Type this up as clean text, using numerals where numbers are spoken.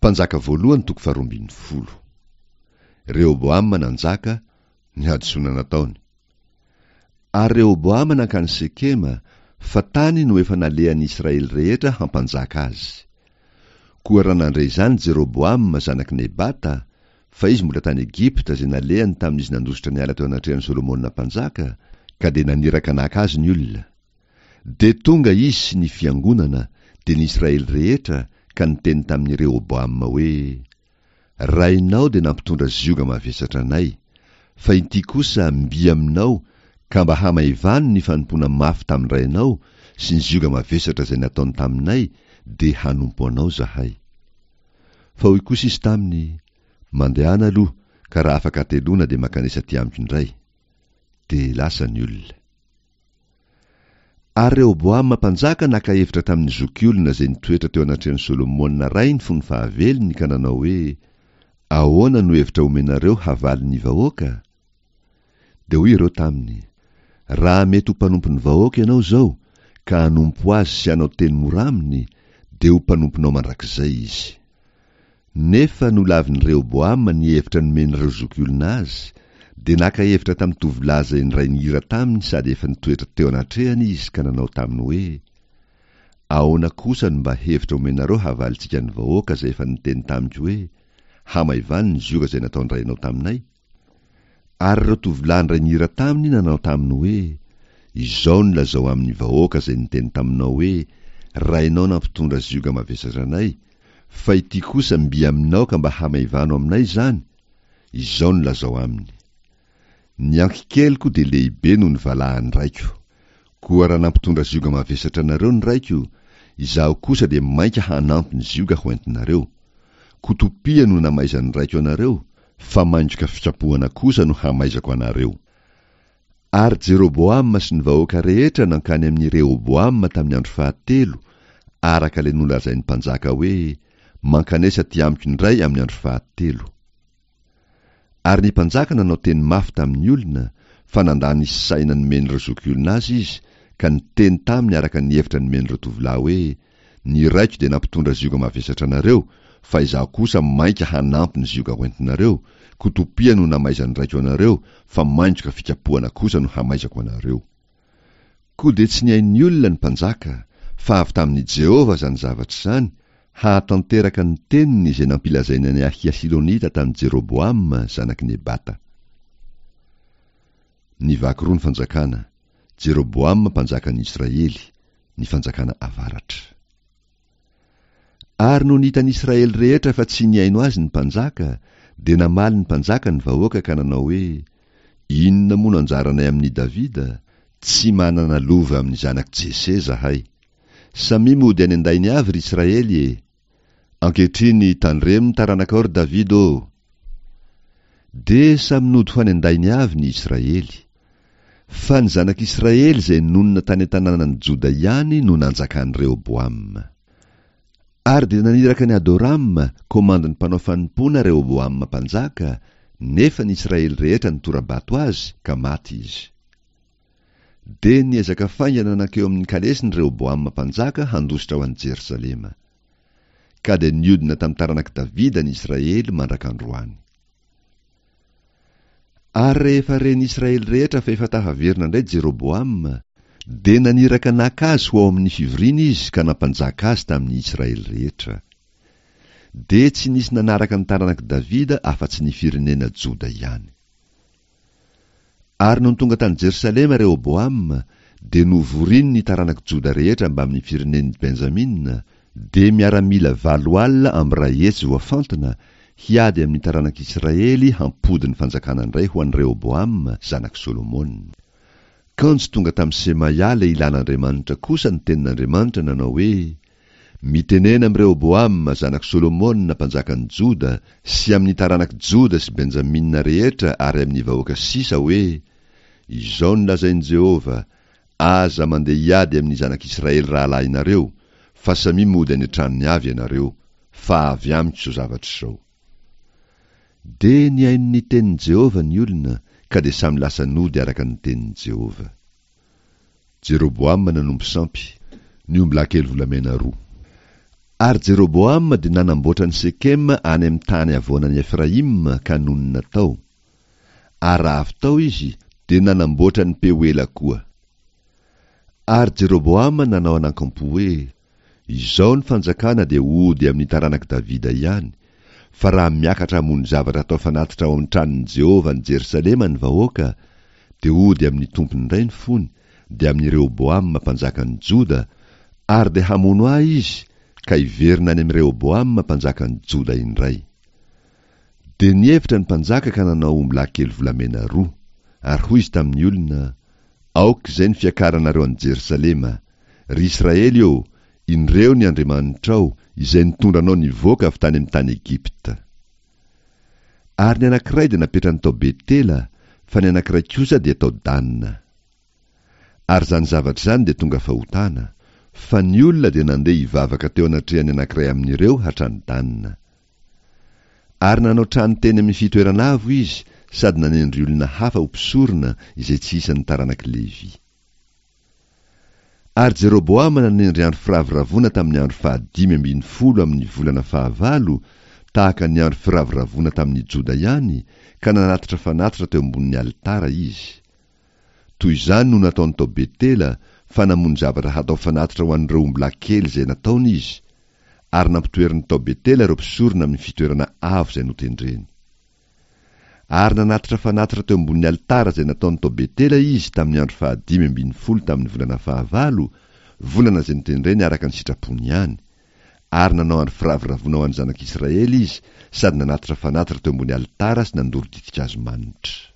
Mpanjaka voalohany toko faharoa 12. Rehoboama nanjaka, ny hadisoana nataony. Ary Rehoboama nankany Sekema, fa tany no efa nalehan'ny Israely rehetra hampanjaka azy. Koa raha nandre izany Jeroboama zanak'i Nebata, fa izy mbola tany Egypta izay nalehany tamin'izy nandositra niala teo anatrehan'i Solomona mpanjaka, ka dia naniraka naka azy ny olona. Dia tonga izy sy ny fiangonana, dia ny Israely rehetra, ka niteny tamin'i Rehoboama hoe, Rainao dia nampitondra zioga mavesatra anay, fa inty kosa mby aminao ka mba hamaivano ny fanompoana mafy tamin-drainao sy ny zioga mavesatra izay nataony taminay, dia hanompo anao izahay. Fa hoy kosa izy taminy, Mandehana aloha, ka raha afaka hateloana dia mankanesa aty amiko indray. Dia lasa ny olona. Ary Rehoboama mpanjaka naka hevitra tamin'ny zokiolona izay nitoetra teo anatrehan'i Solomona rainy fony fahavelony ka nanao hoe, Ahoana no hevitra omenareo havalin'ny vahoaka? Dia hoy ireo taminy, Raha mety ho mpanompon'ny vahoaka ianao izao, ka hanompo azy sy hanao teny mora aminy, dia ho mpanomponao mandrakizay izy. Nefa nolavin'i Rehoboama ny hevitra nomen'ireo zokiolona azy, dia naka hevitra tamin'ny tovolahy izay niray nihira taminy sady efa nitoetra teo anatrehany izy ka nanao taminy hoe, Ahoana kosa no mba hevitra omenareo havalintsika ny vahoaka izay efa niteny tamiko hoe, Hamaivano ny zioga izay nataon-drainao taminay? Ary ireo tovolahy niray nihira taminy nanao taminy hoe, Izao no lazao amin'ny vahoaka izay niteny taminao hoe, Rainao nampitondra zioga mavesatra anay, fa ity kosa mby aminao ka mba hamaivano aminay izany, izao no lazao aminy, Ny ankikeliko dia lehibe noho ny valahan'ny raiko. Koa raha nampitondra zioga mavesatra anareo ny raiko, izaho kosa dia mainka hanampy ny zioga hoentinareo. Kotopia no namaizan'ny raiko anareo, fa maingoka fikapohana kosa no hamaizako anareo. Ary Jeroboama sy ny vahoaka rehetra nankany amin'i Rehoboama tamin'ny andro fahatelo, araka ilay nolazain'ny mpanjaka hoe, Mankanesa aty amiko indray amin'ny andro fahatelo. Ary ny mpanjaka nanao teny mafy tamin'ny olona, fa nandà ny saina nomen'ireo zokiolona azy izy, ka niteny taminy araka ny hevitra nomen'ireo tovolahy hoe, Ny raiko dia nampitondra zioga mavesatra anareo, fa izaho kosa mainka hanampy ny zioga hoentinareo, koa topia no namaizan'ny raiko anareo, fa maingoka fikapohana kosa no hamaizako anareo. Koa dia tsy nihaino ny olona ny mpanjaka, fa avy tamin'i Jehovah izany zavatra izany, hahatanteraka ny teniny izay nampilazainy an'i Ahia Silonita tamin'i Jeroboama zanak'i Nebata. Nivaky roa ny fanjakana, Jeroboama mpanjakan'ny Israely, ny fanjakana avaratra. Ary nony hitan'ny Israely rehetra fa tsy nihaino azy ny mpanjaka, dia namaly ny mpanjaka ny vahoaka ka nanao hoe, Inona moa no anjaranay amin'i Davida? Tsy manana lova amin'ny zanak'i Jese izahay. Samia mody any an-dainy avy, ry Israely e! Ankehitriny tandremo ny taranakao, ry Davida ô! Dia samy nody ho any an-dainy avy ny Israely. Fa ny zanak'Israely izay nonina tany an-tanànan'i Joda ihany no nanjakan'i Rehoboama. Ary dia naniraka an'i Adorama, komandin'ny mpanao fanompoana Rehoboama mpanjaka, nefa ny Israely rehetra nitora-bato azy, ka maty izy. Dia niezaka faingana nankeo amin'ny kalesiny Rehoboama mpanjaka handositra ho any Jerosalema. Ka dia niodina tamin'ny taranak'i Davida ny Israely mandrak'androany. Ary rehefa ren'ny Israely rehetra fa efa tafaverina indray Jeroboama, dia naniraka naka azy ho ao amin'ny fivoriana izy ka nampanjaka azy tamin'ny Israely rehetra. Dia tsy nisy nanaraka ny taranak'i Davida afa-tsy ny firenena Joda ihany. Ary nony tonga tany Jerosalema Rehoboama, dia novoriny ny taranak'i Joda rehetra mbamin'ny firenen'i Benjamina, dia miaramila 180 voafantina, hiady amin'ny taranak'Israely hampody ny fanjakana indray ho an'i Rehoboama zanak'i Solomona. Kanjo tonga tamin'i Semaia lehilahin'Andriamanitra kosa ny tenin'Andriamanitra nanao hoe, Mitenena amin'i Rehoboama zanak'i Solomona mpanjakan'i Joda sy amin'ny taranak'i Joda sy Benjamina rehetra ary amin'ny vahoaka sisa hoe, Izao no lazain'i Jehovah, Aza mandeha hiady amin'ny zanak'Israely rahalahinareo, fa samia mody any an-tranony avy ianareo, fa avy amiko izao zavatra izao. Dia nihaino ny tenin'i Jehovah ny olona, ka dia samy lasa nody araka ny tenin'i Jehovah. Jeroboama nanompo sampy, ny ombilahy kely volamena roa. Ary Jeroboama dia nanamboatra an'i Sekema any amin'ny tany havoanan'i Efraima ka nonina tao. Ary raha avy tao izy, dia nanamboatra an'i Pehoela koa. Ary Jeroboama nanao anankampo hoe, Izao ny fanjakana dia hody amin'ny taranak'i Davida ihany, fa raha miakatra hamono zavatra hatao fanatitra ao amin'ny tranon'i Jehovah any Jerosalema ny vahoaka, dia hody amin'ny tompony indray ny fony, dia amin'i Rehoboama mpanjakan'ny Joda, ary dia hamono ahy izy ka hiverina any amin'i Rehoboama mpanjakan'ny Joda indray. Dia nihevitra ny mpanjaka ka nanao ombilahy kely volamena roa, ary hoy izy tamin'ny olona, Aoka izay ny fiakaranareo any Jerosalema, Ry Israely ô, indreo ny Andriamanitrao, izay nitondra anao nivoaka avy tany amin'ny tany Egypta. Ary ny anankiray dia napetrany tao Betela, fa ny anankiray kosa dia tao Dana. Ary izany zavatra izany dia tonga fahotana, fa ny olona dia nandeha hivavaka teo anatrehan'ny anankiray amin'ireo hatrany Dana. Ary nanao trano teny amin'ny fitoerana avo izy sady nanendry olona hafa ho mpisorona izay tsy isan'ny taranak'i Levy. Ary Jeroboama nanendry andro firavoravoana tamin'ny andro fahadimy ambin'ny folo amin'ny volana fahavalo, tahaka ny andro firavoravoana tamin'ny Joda ihany, ka nanatitra fanatitra teo ambonin'ny alitara izy. Toy izany no nataony tao Betela, fa namono zavatra hatao fanatitra ho an'ireo ombilahy kely izay nataony izy, ary nampitoeriny tao Betela ireo mpisorona amin'ny fitoerana avo izay notendreny. Ary nanatitra fanatitra teo ambonin'ny alitara izay nataony tao Betela izy tamin'ny andro fahadimy ambin'ny folo tamin'ny volana fahavalo, volana izay notendreny araka ny sitrapony ihany. Ary nanao andro firavoravoana ho an'ny zanak'Israely izy sady nanatitra fanatitra teo ambony alitara sy nandoro ditin-kazo manitra.